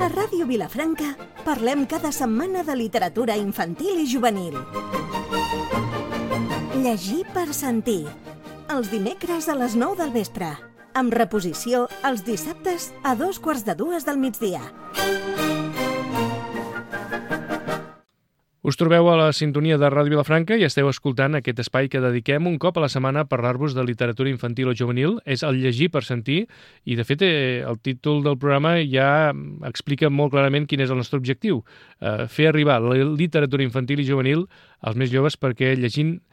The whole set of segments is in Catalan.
A Ràdio Vilafranca parlem cada setmana de literatura infantil i juvenil. Llegir per sentir. Els dimecres a les 9 del vespre. Amb reposició els dissabtes a 2:45 del migdia. Us trobeu a la sintonia de Ràdio Vilafranca i esteu escoltant aquest espai que dediquem un cop a la setmana a parlar-vos de literatura infantil o juvenil. És el llegir per sentir i, de fet, el títol del programa ja explica molt clarament quin és el nostre objectiu. Fer arribar la literatura infantil i juvenil als més joves perquè llegint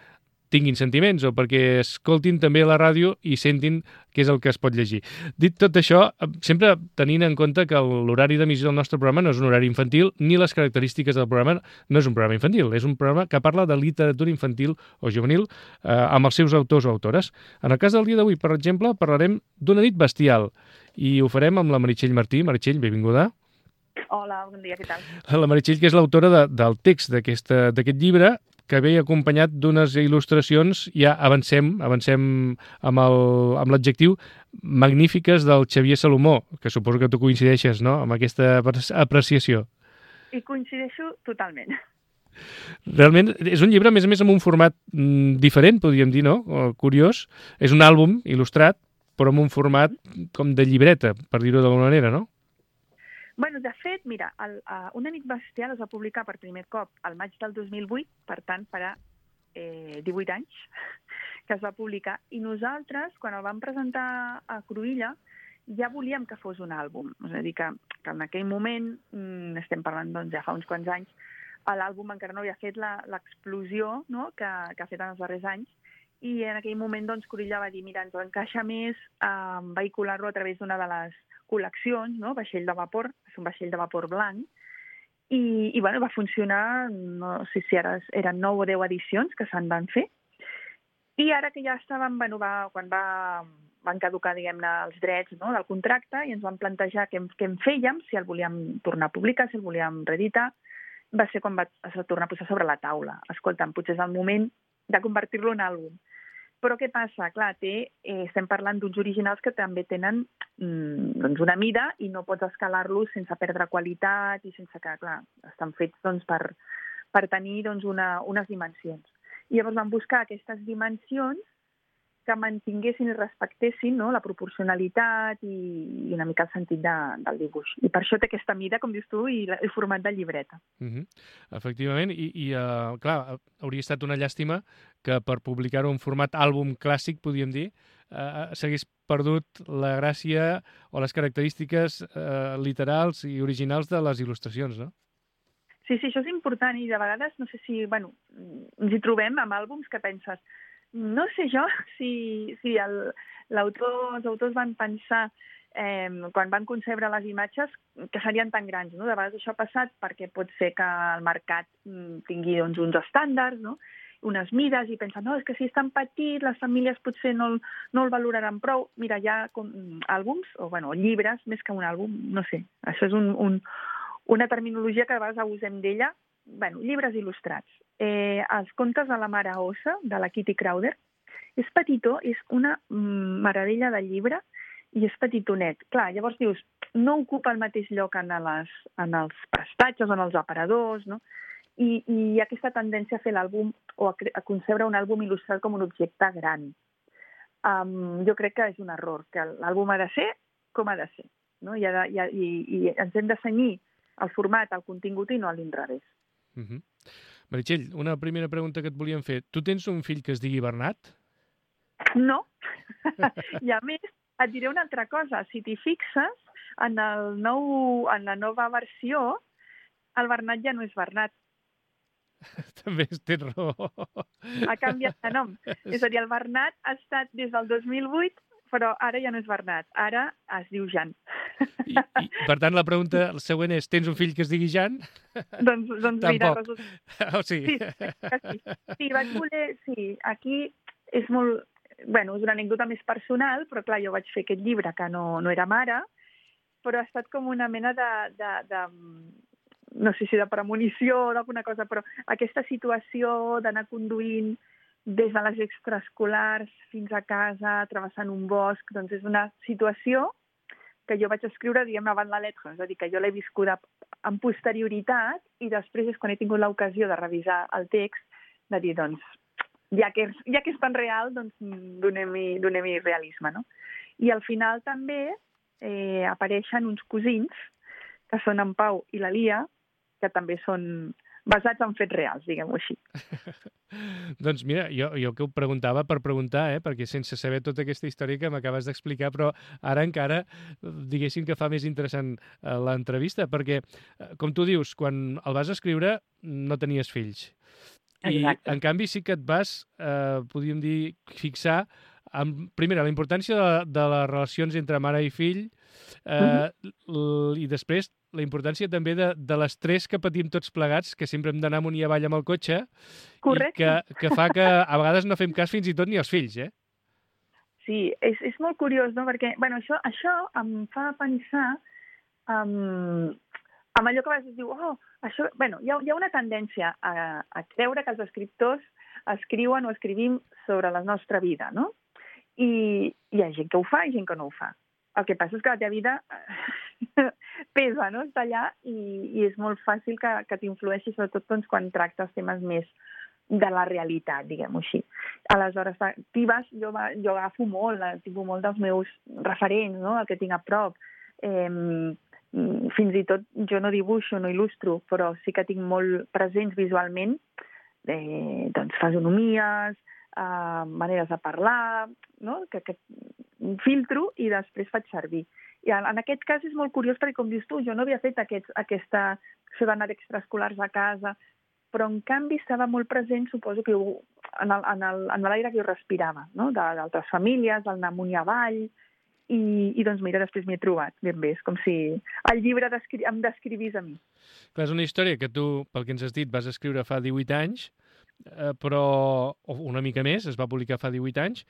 tinguin sentiments o perquè escoltin també la ràdio i sentin què és el que es pot llegir. Dit tot això, sempre tenint en compte que l'horari d'emissió del nostre programa no és un horari infantil ni les característiques del programa no és un programa infantil, és un programa que parla de literatura infantil o juvenil amb els seus autors o autores. En el cas del dia d'avui, per exemple, parlarem d'Una nit bestial i ho farem amb la Meritxell Martí. Meritxell, benvinguda. Hola, bon dia, què tal? La Meritxell, que és l'autora del text d'aquest llibre, que ve acompanyat d'unes il·lustracions, ja avancem amb l'adjectiu, magnífiques del Xavier Salomó, que suposo que tu coincideixes, no?, amb aquesta apreciació. I coincideixo totalment. Realment és un llibre, a més amb un format diferent, podríem dir, no?, curiós. És un àlbum il·lustrat, però amb un format com de llibreta, per dir-ho d'alguna manera, no? Bueno, de fet, mira, Una nit bestial es va publicar per primer cop al maig del 2008, per tant, farà 18 anys que es va publicar, i nosaltres, quan el vam presentar a Cruïlla, ja volíem que fos un àlbum. És a dir, que en aquell moment, estem parlant doncs, ja fa uns quants anys, l'àlbum encara no havia fet l'explosió, no?, que ha fet en els darrers anys, i en aquell moment doncs, Cruïlla va dir, mira, ens encaixa més vehicular-lo a través d'una de les col·leccions, no?, vaixell de vapor, és un vaixell de vapor blanc, i bueno, va funcionar, no sé si ara eren 9 o 10 edicions que se'n van fer, i ara que ja estàvem, bueno, quan van caducar, diguem-ne, els drets, no?, del contracte, i ens vam plantejar què en fèiem, si el volíem tornar a publicar, si el volíem reeditar, va ser quan es va tornar a posar sobre la taula. Escolta'm, potser és el moment de convertir-lo en àlbum. Però què passa? Clar, estem parlant d'uns originals que també tenen doncs una mida i no pots escalar-los sense perdre qualitat i sense que, clar, estan fets doncs, per tenir doncs, unes dimensions. I llavors vam buscar aquestes dimensions que mantinguessin i respectessin, no?, la proporcionalitat i una mica el sentit del dibuix. I per això té aquesta mida, com dius tu, i el format de llibreta. Efectivament, i clar, hauria estat una llàstima que per publicar-ho en format àlbum clàssic, podríem dir, s'hagués perdut la gràcia o les característiques literals i originals de les il·lustracions, no? Sí, això és important, i de vegades, no sé si, bueno, ens hi trobem amb àlbums que penses, no sé jo si els autors van pensar, quan van concebre les imatges, que serien tan grans, no? De vegades això ha passat perquè pot ser que el mercat tingui doncs, uns estàndards, no?, unes mides, i pensen, no, és que si és tan petit, les famílies potser no el valoraran prou. Mira, hi ha àlbums, o llibres, més que un àlbum, no sé, això és una terminologia que a vegades abusem d'ella, llibres il·lustrats. Els contes de la mare Ossa, de la Kitty Crowder, és petitó, és una meravella de llibre i és petitonet. Clar, llavors dius, no ocupa el mateix lloc en els prestatges o en els aparadors, no? I hi ha aquesta tendència a fer l'àlbum o a concebre un àlbum il·lustrat com un objecte gran. Jo crec que és un error, que l'àlbum ha de ser com ha de ser, no? I ens hem de cenyir al format, al contingut i no a l'inrevés. Meritxell, una primera pregunta que et volíem fer. Tu tens un fill que es digui Bernat? No. I a més, et diré una altra cosa. Si t'hi fixes, en la nova versió, el Bernat ja no és Bernat. També tens raó. Ha canviat de nom. És a dir, el Bernat ha estat des del 2008, però ara ja no és Bernat. Ara es diu Jan. I per tant, la pregunta següent és, tens un fill que es digui Jan? Doncs mira, resulta... Oh, sí. Sí, vaig voler... Sí, aquí és molt... Bueno, és una anècdota més personal, però clar, jo vaig fer aquest llibre que no era mare, però ha estat com una mena de no sé si de premonició o d'alguna cosa, però aquesta situació d'anar conduint des de les extraescolars fins a casa, travessant un bosc, doncs és una situació que jo vaig escriure, diguem, avant la lettre, és a dir, que jo l'he viscuda amb posterioritat i després és quan he tingut l'ocasió de revisar el text, de dir, doncs, ja que és tan real, doncs donem-hi realisme, no? I al final també apareixen uns cosins, que són en Pau i la Lia, que també són basats en fets reals, diguem-ho així. Doncs mira, jo que ho preguntava per preguntar, perquè sense saber tota aquesta història que m'acabes d'explicar, però ara encara, diguéssim que fa més interessant l'entrevista, perquè, com tu dius, quan el vas escriure no tenies fills. Exacte. I, en canvi, sí que et vas, podríem dir, fixar primera, la importància de les relacions entre mare i fill, i després la importància també de l'estrès que patim tots plegats, que sempre hem d'anar amunt i avall amb el cotxe, correcte, i que fa que a vegades no fem cas fins i tot ni als fills, Sí, és molt curiós, no? Perquè, bueno, això em fa pensar amb allò que a vegades diu, això... Bueno, hi ha una tendència a creure que els escriptors escriuen o escrivim sobre la nostra vida, no? I hi ha gent que ho fa i gent que no ho fa. El que passa és que la teva vida pesa, no? Està allà i és molt fàcil que t'influeixi, sobretot doncs, quan tractes temes més de la realitat, diguem-ho així. Aleshores, jo agafo molt dels meus referents, no? El que tinc a prop. Fins i tot jo no dibuixo, no il·lustro, però sí que tinc molt presents visualment doncs fisonomies, maneres de parlar, no? Que filtro i després faig servir. I en aquest cas és molt curiós perquè, com dius tu, jo no havia fet això d'anar d'extraescolars a casa, però en canvi estava molt present, suposo que en l'aire que jo respirava, no? D'altres famílies, d'anar amunt i avall, i doncs mira, després m'hi he trobat ben bé. És com si el llibre em descrivís a mi. Clar, és una història que tu, pel que ens has dit, vas escriure fa 18 anys, però una mica més, es va publicar fa 18 anys,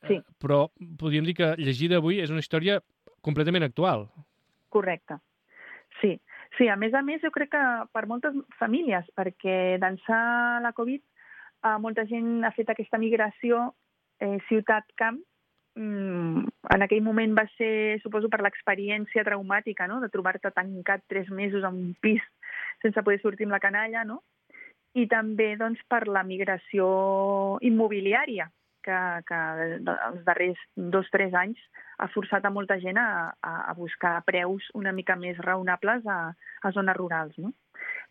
sí. Però podríem dir que llegida avui és una història completament actual. Correcte. Sí, a més, jo crec que per moltes famílies, perquè d'ençà la Covid molta gent ha fet aquesta migració ciutat-camp. En aquell moment va ser, suposo, per l'experiència traumàtica, no? De trobar-te tancat 3 mesos en un pis sense poder sortir amb la canalla, no? I també doncs, per la migració immobiliària, que els darrers 2-3 anys ha forçat a molta gent a buscar preus una mica més raonables a zones rurals, no?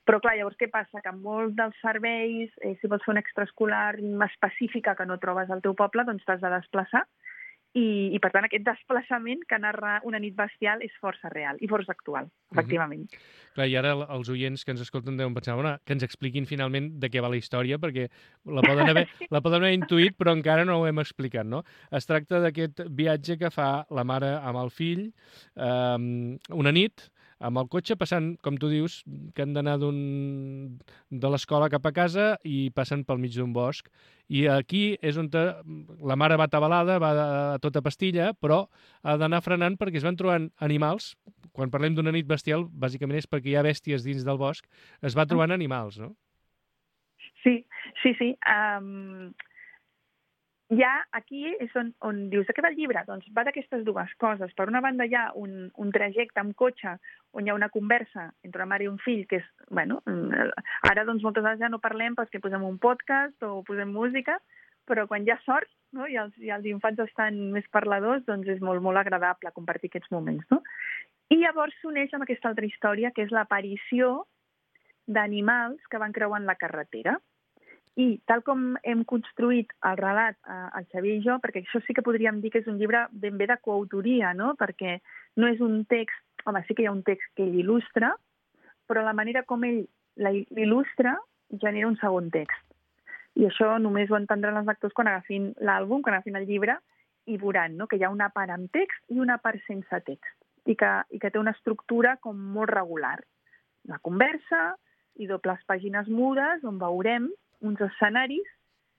Però clar, llavors què passa? Que molts dels serveis, si vols fer una extraescolar específica que no trobes al teu poble, doncs t'has de desplaçar. I per tant, aquest desplaçament que narra Una nit bestial és força real i força actual, efectivament. Clar, i ara els oients que ens escolten deuen pensar, que ens expliquin finalment de què va la història, perquè la poden haver intuït, però encara no ho hem explicat, no? Es tracta d'aquest viatge que fa la mare amb el fill una nit, amb el cotxe, passant, com tu dius, que han d'anar de l'escola cap a casa i passen pel mig d'un bosc. I aquí és on la mare va atabalada, va a tota pastilla, però ha d'anar frenant perquè es van trobant animals. Quan parlem d'una nit bestial, bàsicament és perquè hi ha bèsties dins del bosc, es va trobant animals, no? Sí. Ja aquí és on dius, de què va el llibre? Doncs va d'aquestes dues coses. Per una banda hi ha un trajecte amb cotxe on hi ha una conversa entre una mare i un fill, que és, bueno, ara doncs moltes vegades ja no parlem perquè posem un podcast o posem música, però quan hi ha sort, no? I els infants estan més parladors, doncs és molt, molt agradable compartir aquests moments, no? I llavors s'uneix amb aquesta altra història, que és l'aparició d'animals que van creuant la carretera. I tal com hem construït el relat, el Xavier i jo, perquè això sí que podríem dir que és un llibre ben bé de coautoria, no? Perquè no és un text, home, sí que hi ha un text que ell il·lustra, però la manera com ell l'il·lustra genera un segon text. I això només ho entendran els lectors quan agafin l'àlbum, quan agafin el llibre, i veuran, no? Que hi ha una part amb text i una part sense text, i que té una estructura com molt regular. La conversa i dobles pàgines mudes on veurem uns escenaris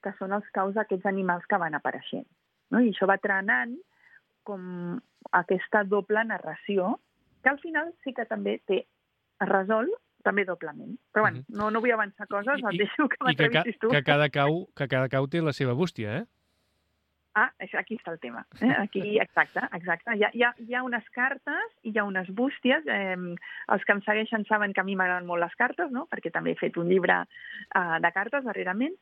que són els caus d'aquests animals que van apareixent, no? I això va trenant com aquesta doble narració, que al final sí que també es resol també doblement. Però bueno, no vull avançar coses, et deixo que m'entrevistis tu. Que cada cau té la seva bústia, eh? Aquí està el tema. Aquí, exacte. Hi ha unes cartes i hi ha unes bústies. Els que em segueixen saben que a mi m'agraden molt les cartes, no? Perquè també he fet un llibre de cartes darrerament.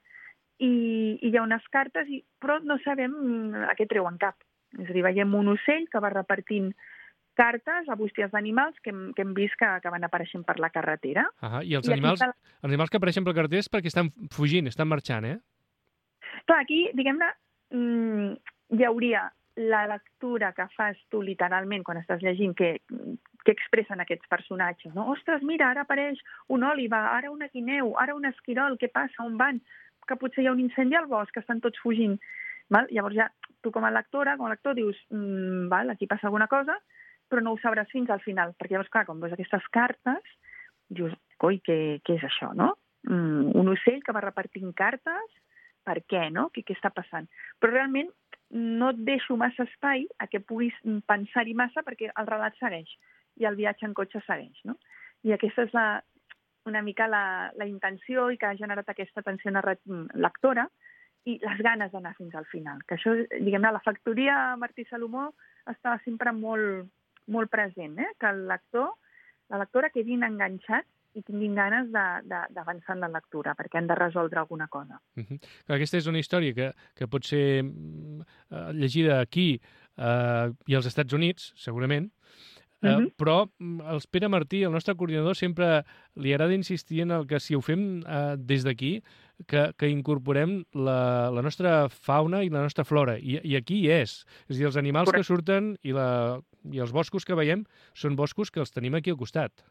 I hi ha unes cartes, però no sabem a què treuen cap. És a dir, veiem un ocell que va repartint cartes a bústies d'animals que hem vist que van apareixent per la carretera. I els animals que apareixen per la carretera és perquè estan fugint, estan marxant, eh? Clar, aquí, diguem-ne, hi hauria la lectura que fas tu literalment quan estàs llegint que expressen aquests personatges, no? Ostres, mira, ara apareix un òliba, ara una guineu, ara un esquirol, què passa, on van? Que potser hi ha un incendi al bosc, que estan tots fugint. Val? Llavors ja tu com a lector dius, aquí passa alguna cosa, però no ho sabràs fins al final, perquè llavors, clar, quan veus aquestes cartes, dius, coi, què és això, no? Un ocell que va repartint cartes, per què, no? Què està passant? Però realment no et deixo massa espai a que puguis pensar-hi massa perquè el relat segueix i el viatge en cotxe segueix, no? I aquesta és una mica la intenció i que ha generat aquesta tensió lectora i les ganes d'anar fins al final. Que això, diguem-ne, la factoria Martí Salomó estava sempre molt, molt present, que el lector, la lectora quedin enganxats i tinguin ganes d'avançar en la lectura, perquè han de resoldre alguna cosa. Aquesta és una història que pot ser llegida aquí i als Estats Units, segurament, però el Pere Martí, el nostre coordinador, sempre li agrada insistir en el que si ho fem des d'aquí, que incorporem la nostra fauna i la nostra flora. I aquí hi és. És a dir, els animals que surten i els boscos que veiem són boscos que els tenim aquí al costat.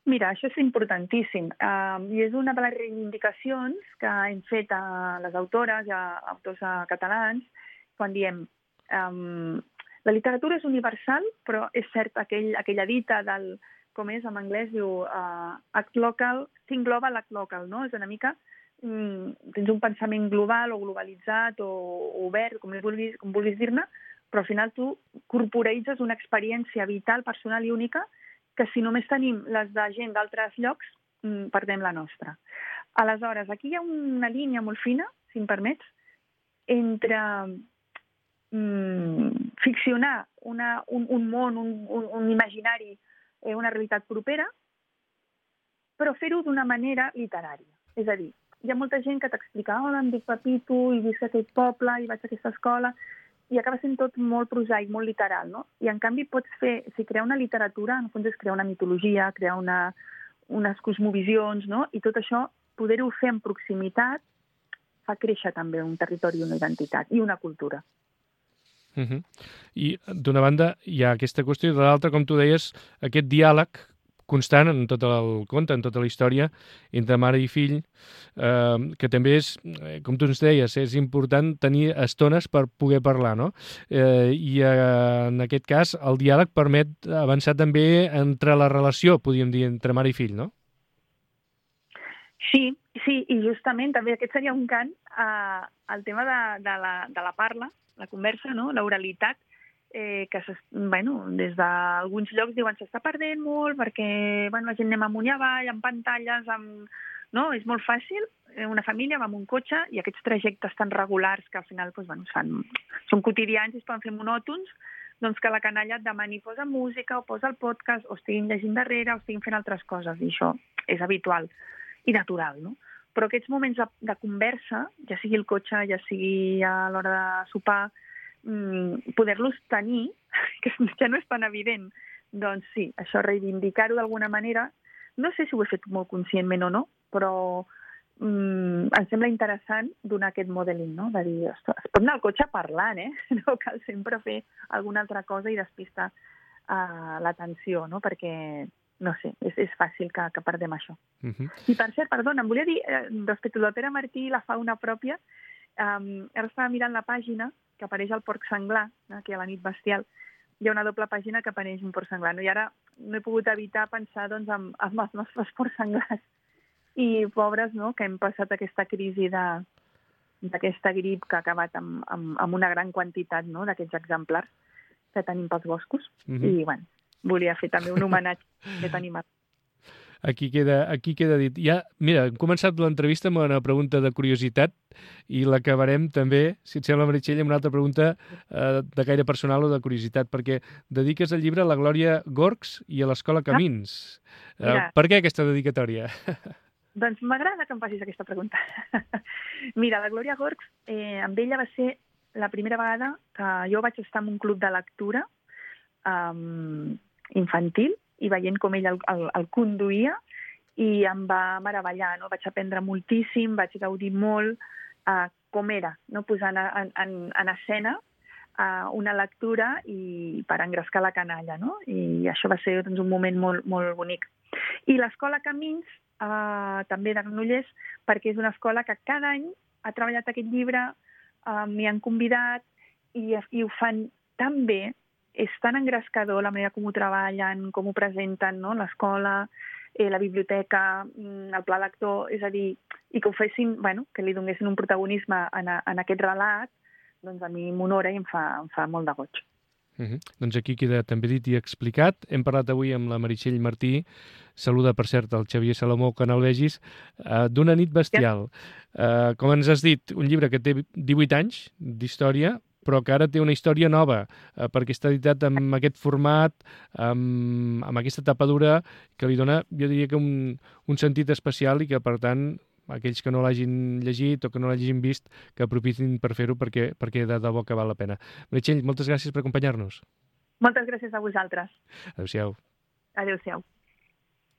Mira, això és importantíssim. I és una de les reivindicacions que hem fet a les autores i a autors catalans quan diem la literatura és universal, però és cert aquella dita del, com és en anglès, diu act local, think global, act local, no? És una mica, tens un pensament global o globalitzat o obert, com vulguis dir-ne, però al final tu corporitzes una experiència vital, personal i única que si només tenim les de gent d'altres llocs, perdem la nostra. Aleshores, aquí hi ha una línia molt fina, si em permets, entre ficcionar un món, un imaginari, una realitat propera, però fer-ho d'una manera literària. És a dir, hi ha molta gent que t'explica em dic Pepito i visc a aquest poble i vaig a aquesta escola, i acaba sent tot molt prosaic, molt literal, no? I en canvi pots fer, si crear una literatura, en el fons és crear una mitologia, crear unes cosmovisions, no? I tot això, poder-ho fer en proximitat, fa créixer també un territori i una identitat, i una cultura. I d'una banda hi ha aquesta qüestió, i de l'altra, com tu deies, aquest diàleg constant en tot el conte, en tota la història, entre mare i fill, que també és, com tu ens deies, és important tenir estones per poder parlar, no? I en aquest cas el diàleg permet avançar també entre la relació, podríem dir, entre mare i fill, no? Sí, i justament també aquest seria un cant al tema de la parla, la conversa, no? L'oralitat, que des d'alguns llocs diuen s'està perdent molt perquè la gent anem amunt i avall, amb pantalles, no? És molt fàcil, una família va amb un cotxe i aquests trajectes tan regulars que al final són quotidians i es poden fer monòtons, doncs que la canalla et demani posa música o posa el podcast o estiguin llegint darrere o estiguin fent altres coses, i això és habitual i natural, no? Però aquests moments de conversa, ja sigui el cotxe, ja sigui a l'hora de sopar, poder-los tenir, que ja no és tan evident, doncs sí, això reivindicar-ho d'alguna manera, no sé si ho he fet molt conscientment o no, però em sembla interessant donar aquest modeling, no? De dir, ostres, es pot anar al cotxe parlant, no cal sempre fer alguna altra cosa i despistar l'atenció, no? Perquè, no sé, és fàcil que perdem això. I per cert, perdona, em volia dir, respecte del Pere Martí i la fauna pròpia, ara estava mirant la pàgina que apareix el porc senglar, aquí a la nit bestial, hi ha una doble pàgina que apareix un porc senglar, i ara no he pogut evitar pensar en els nostres porcs senglars i pobres, no?, que hem passat aquesta crisi d'aquesta grip que ha acabat amb una gran quantitat, no?, d'aquests exemplars que tenim pels boscos. I, bueno, volia fer també un homenatge a aquest animal. Aquí queda dit. Ja, mira, hem començat l'entrevista amb una pregunta de curiositat i l'acabarem també, si et sembla, Meritxell, amb una altra pregunta de gaire personal o de curiositat, perquè dediques el llibre a la Glòria Gorgs i a l'Escola Camins. Per què aquesta dedicatòria? Doncs m'agrada que em facis aquesta pregunta. Mira, la Glòria Gorgs, amb ella va ser la primera vegada que jo vaig estar en un club de lectura infantil i veient com ell el conduïa i em va meravellar, no? Vaig aprendre moltíssim, vaig gaudir molt com era, no? Posant en escena una lectura i per engrescar la canalla, no? I això va ser doncs, un moment molt, molt bonic. I l'Escola Camins, també de Granollers, perquè és una escola que cada any ha treballat aquest llibre, m'hi han convidat i ho fan tan bé, és tan engrescador la manera com ho treballen, com ho presenten, no? L'escola, la biblioteca, el pla lector, és a dir, i que ho fessin, bueno, que li donessin un protagonisme en aquest relat, doncs a mi m'honora i em fa molt de goig. Doncs aquí queda també dit i explicat. Hem parlat avui amb la Meritxell Martí, saluda per cert el Xavier Salomó, que no el vegis, d'Una nit bestial. Com ens has dit, un llibre que té 18 anys d'història, però que ara té una història nova, perquè està editat amb aquest format, amb aquesta tapadura, que li dona, jo diria que un sentit especial i que, per tant, aquells que no l'hagin llegit o que no l'hagin vist, que aprofitin per fer-ho perquè de debò que val la pena. Meritxell, moltes gràcies per acompanyar-nos. Moltes gràcies a vosaltres. Adéu-siau. Adéu-siau.